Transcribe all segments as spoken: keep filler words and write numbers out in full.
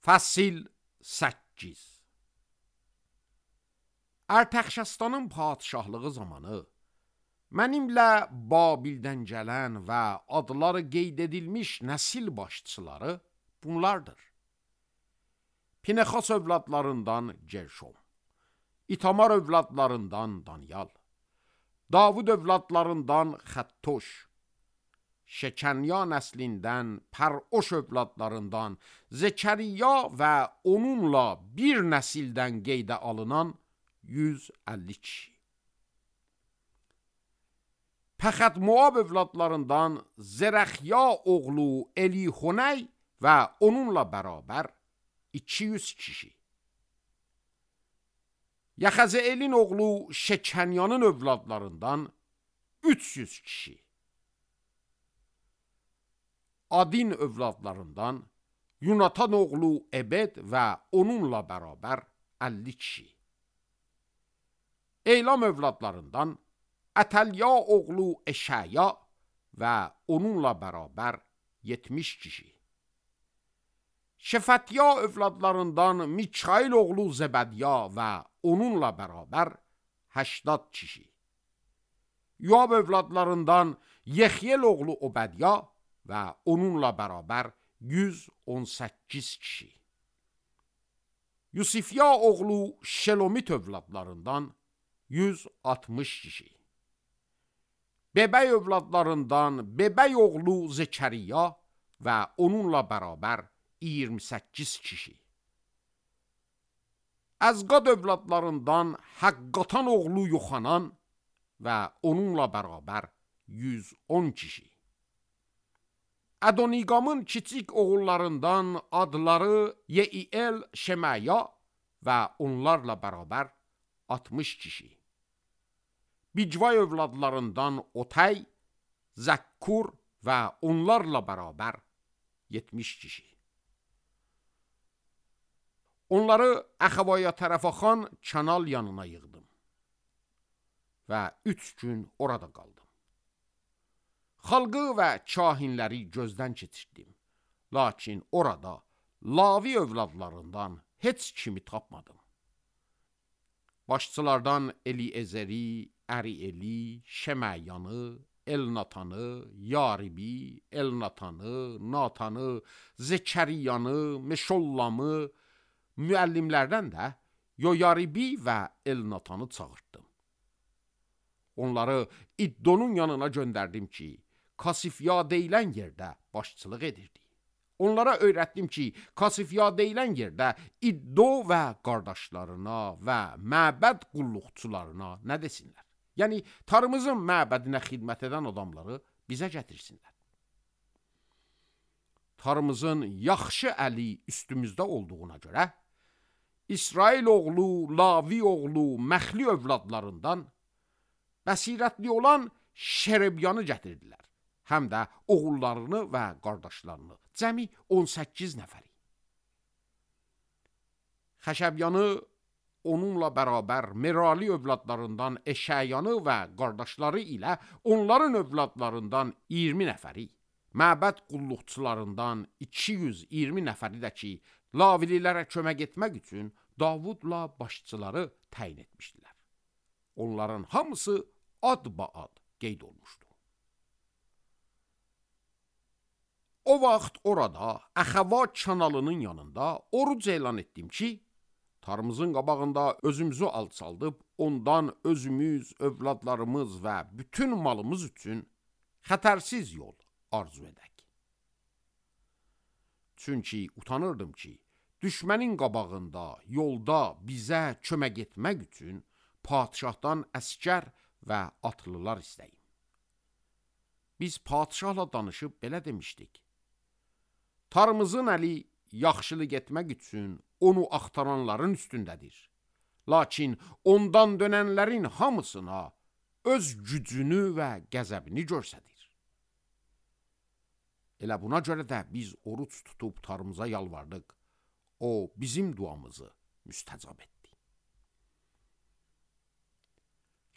Fəsil səkkiz. Ərtəxşəstanın padişahlığı zamanı mənimlə Babildən gələn və adları qeyd edilmiş nəsil başçıları bunlardır. Pinexas övladlarından Gerşom, İtamar övladlarından Danyal, Davud övladlarından Xəttoş, Şekenya nəslindən Pəroş övladlarından Zekəriya və onunla bir nəsildən qeydə alınan yüz əlli kişi. Pəxət Moab övladlarından Zərəxya oğlu Elihoney və onunla bərabər iki yüz kişi. Yaxəzeelin oğlu Şekenyanın övladlarından üç yüz kişi. Adin övladlarından Yunatan oğlu Ebed və onunla bərabər əlli kişi. Eylam övladlarından Ətəlya oğlu Eşaya və onunla bərabər yetmiş kişi. Şefətya övladlarından Mikail oğlu Zebədya və onunla bərabər həştad kişi. Yoab övladlarından Yexyel oğlu Obədya və onunla bərabər yüz on səkkiz kişi. Yusifya oğlu Şelomit övladlarından yüz altmış kişi. Bebəy övladlarından Bebəy oğlu Zekəriya və onunla bərabər iyirmi səkkiz kişi. Əzqad övladlarından Həqqatan oğlu Yoxanan və onunla bərabər yüz on kişi. Adoniqamın kiçik oğullarından adları Yeiyel, Şemaya və onlarla bərabər altmış kişi. Bicvay övladlarından Otay, Zəkkur və onlarla bərabər yetmiş kişi. Onları Əxavaya tərəfaxan kanal yanına yığdım və üç gün orada qaldım. Xalqı və kahinləri gözdən keçirdim, lakin orada Lavi övladlarından heç kimi tapmadım. Başçılardan Eliezeri, Ərieli, Şeməyanı, Elnatanı, Yaribi, Elnatanı, Natanı, Zekəriyanı, Meşollamı, müəllimlərdən də Yoyaribi və Elnatanı çağırtdım. Onları İddonun yanına göndərdim ki, Kasifya deyilən yerdə başçılıq edirdi. Onlara öyrətdim ki, Kasifya deyilən yerdə İddo və qardaşlarına və məbəd qulluqçularına nə desinlər? Yəni, tarımızın məbədinə xidmət edən adamları bizə gətirsinlər. Tarımızın yaxşı əli üstümüzdə olduğuna görə, İsrail oğlu, Lavi oğlu, Məxli övladlarından bəsirətli olan Şerebyanı gətirdilər. Həm də oğullarını və qardaşlarını, cəmi on səkkiz nəfəri. Xəşəbyanı onunla bərabər Merali övladlarından Eşəyanı və qardaşları ilə onların övladlarından iyirmi nəfəri, məbəd qulluqçularından iki yüz iyirmi nəfəri də ki, Lavililərə kömək etmək üçün Davudla başçıları təyin etmişdilər. Onların hamısı ad-ba-ad qeyd olmuşdu. O vaxt orada Əxava kanalının yanında oruc elan etdim ki, tarımızın qabağında özümüzü alçaldıb, ondan özümüz, övladlarımız və bütün malımız üçün xətərsiz yol arzu edək. Çünki utanırdım ki, düşmənin qabağında, yolda bizə kömək etmək üçün padişahdan əskər və atlılar istəyim. Biz padişahla danışıb belə demişdik. Tarımızın əli yaxşılıq etmək üçün onu axtaranların üstündədir. Lakin ondan dönənlərin hamısına öz gücünü və qəzəbini göstərir. Elə buna görə də biz oruç tutub tarımıza yalvardıq. O bizim duamızı müstəcab etdi.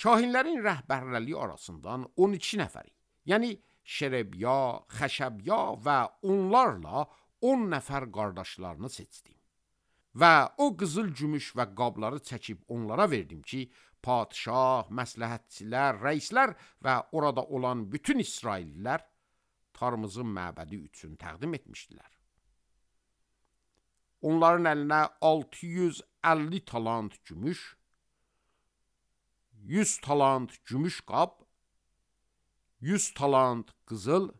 Kahinlərin rəhbərləri arasından on iki nəfəri, yəni Şerebya, Xəşəbya və onlarla on nəfər qardaşlarını seçdim. Və o qızıl gümüş və qabları çəkib onlara verdim ki, padişah, məsləhətçilər, rəislər və orada olan bütün İsraillilər Tarmızın məbədi üçün təqdim etmişdilər. Onların əlinə altı yüz əlli talant gümüş, yüz talant gümüş qab, yüz talant qızıl,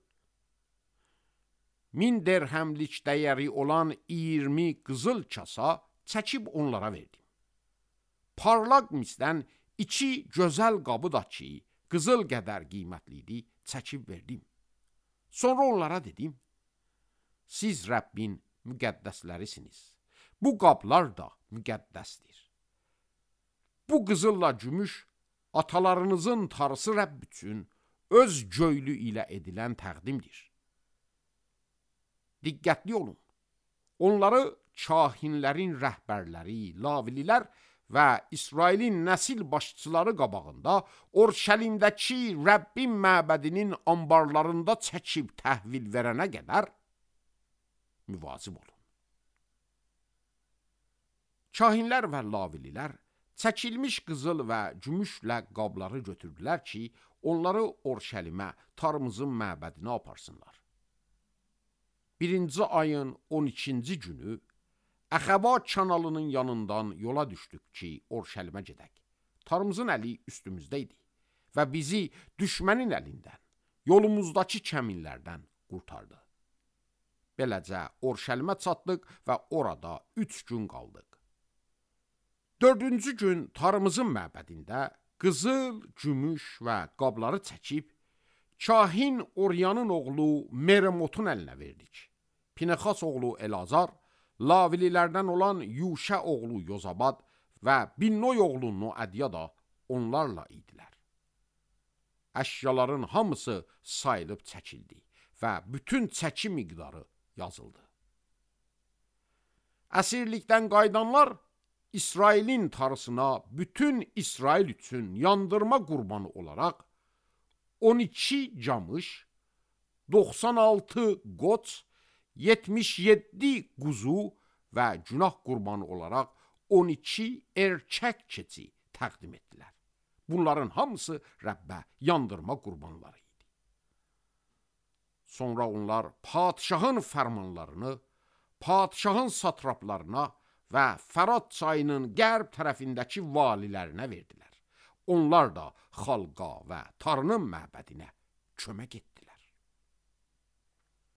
min dirhəmlik dəyəri olan iyirmi qızıl kasa çəkib onlara verdim. Parlaq misdən iki gözəl qabı da ki, qızıl qədər qiymətli idi, çəkib verdim. Sonra onlara dedim, siz Rəbbin müqəddəslərisiniz. Bu qablar da müqəddəsdir. Bu qızılla gümüş atalarınızın tarısı Rəbb üçün öz göylü ilə edilən təqdimdir. Diqqətli olun. Onları kahinlərin rəhbərləri, lavililər və İsrailin nəsil başçıları qabağında Orşəlimdəki Rəbbin məbədinin ambarlarında çəkib təhvil verənə qədər müvazib olun. Kahinlər və lavililər çəkilmiş qızıl və gümüşlə qabları götürdülər ki, onları Orşəlimə, Tarmızın məbədinə aparsınlar. Birinci ayın on ikinci günü Əxəba kanalının yanından yola düşdük ki, Orşəlimə gedək. Tarmızın əli üstümüzdə idi və bizi düşmənin əlindən, yolumuzdakı kəminlərdən qurtardı. Beləcə Orşəlimə çatdıq və orada üç gün qaldıq. Dördüncü gün Tarmızın məbədində qızıl, gümüş və qabları çəkib, kahin Oryanın oğlu Meremotun əlinə verdik. Pinexas oğlu Elazar, lavililərdən olan Yuşə oğlu Yozabad və Binnoy oğlu Noadiya da onlarla idilər. Əşyaların hamısı sayılıb çəkildi və bütün çəki miqdarı yazıldı. Əsirlikdən qayıdanlar İsrailin tarısına bütün İsrail üçün yandırma qurbanı olaraq on iki camış, doxsan altı qoç, yetmiş yeddi quzu və günah qurbanı olaraq on iki erkək keçi təqdim etdilər. Bunların hamısı Rəbbə yandırma qurbanları idi. Sonra onlar padişahın fərmanlarını, padişahın satraplarına və Fərat çayının qərb tərəfindəki valilərinə verdilər. Onlar da xalqa və Tarının məbədinə kömək etdilər.